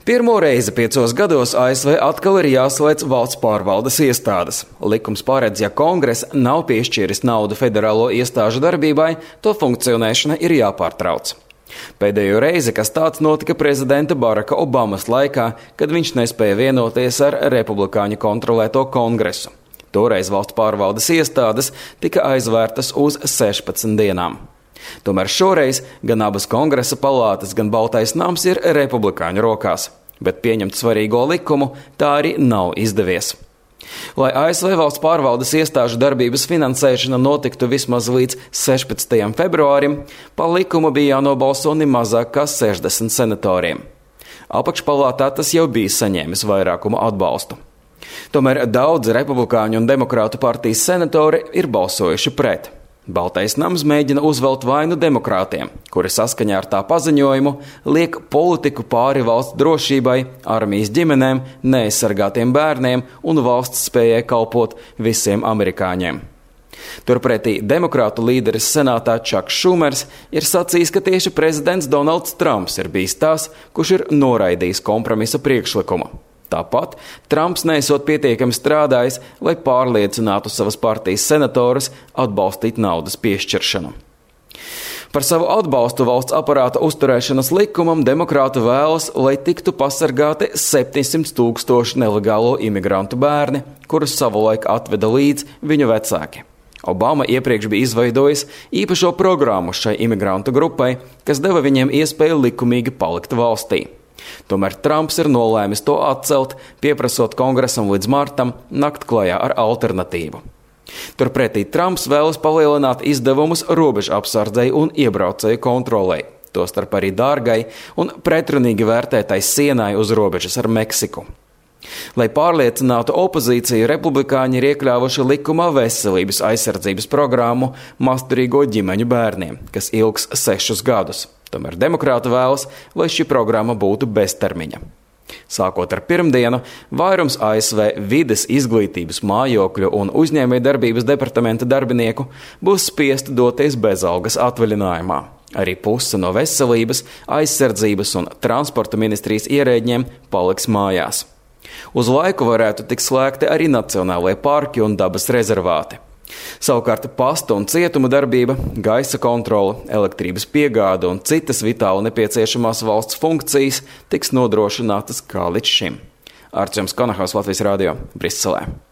Pirmo reizi 5 gados ASV atkal ir jāslēdz valsts pārvaldes iestādes. Likums paredz, ja Kongress nav piešķīris naudu federālo iestāžu darbībai, to funkcionēšana ir jāpārtrauc. Pēdējo reizi, kas tāds notika prezidenta Baraka Obamas laikā, kad viņš nespēja vienoties ar republikāņu kontrolēto Kongresu. Toreiz valsts pārvaldes iestādes tika aizvērtas uz 16 dienām. Tomēr šoreiz gan abas Kongresa palātas, gan Baltais nams ir republikāņu rokās, bet pieņemt svarīgo likumu tā arī nav izdevies. Lai ASV valsts pārvaldes iestāžu darbības finansēšana notiktu vismaz līdz 16. februārim, pa likumu bija jānobalso ne mazāk kā 60 senatoriem. Apakšpalātā tas jau bija saņēmis vairākumu atbalstu. Tomēr daudzi republikāņu un demokrātu partijas senatori ir balsojuši pret. Baltais nams mēģina uzvelt vainu demokrātiem, kuri saskaņā ar tā paziņojumu liek politiku pāri valsts drošībai, armijas ģimenēm, neaizsargātiem bērniem un valsts spējai kalpot visiem amerikāņiem. Turpretī demokrātu līderis senātā Čaks Šumers ir sacījis, ka tieši prezidents Donalds Trumps ir bijis tās, kurš ir noraidījis kompromisa priekšlikumu. Tāpat Trumps neesot pietiekami strādājis, lai pārliecinātu savas partijas senatorus atbalstīt naudas piešķiršanu. Par savu atbalstu valsts aparāta uzturēšanas likumam demokrāti vēlas, lai tiktu pasargāti 700 000 nelegālo imigrantu bērni, kurus savulaik atveda līdz viņu vecāki. Obama iepriekš bija izveidojis īpašo programmu šai imigrantu grupai, kas deva viņiem iespēju likumīgi palikt valstī. Tomēr Trumps ir nolēmis to atcelt, pieprasot Kongresam līdz martam nakt klajā ar alternatīvu. Turpretī Trumps vēlas palielināt izdevumus robežu apsardzei un iebraucēju kontrolei, tostarp arī dārgai un pretrunīgi vērtētai sienai uz robežas ar Meksiku. Lai pārliecinātu opozīciju, republikāņi ir iekļāvuši likumā veselības aizsardzības programmu masturīgo ģimeņu bērniem, kas ilgs 6 gadus. Tomēr demokrāti vēlas, lai šī programma būtu beztermiņa. Sākot ar pirmdienu, vairums ASV vides, izglītības, mājokļu un uzņēmējdarbības departamenta darbinieku būs spiesti doties bezalgas atvaļinājumā. Arī puse no veselības, aizsardzības un transporta ministrijas ierēģiem paliks mājās. Uz laiku varētu tikt slēgti arī nacionālajie parki un dabas rezervāti. Savukārt pasta un cietuma darbība, gaisa kontrole, elektrības piegāde un citas vitāli nepieciešamās valsts funkcijas tiks nodrošinātas kā līdz šim. Artjoms Konahaus, Latvijas radio, Briselē.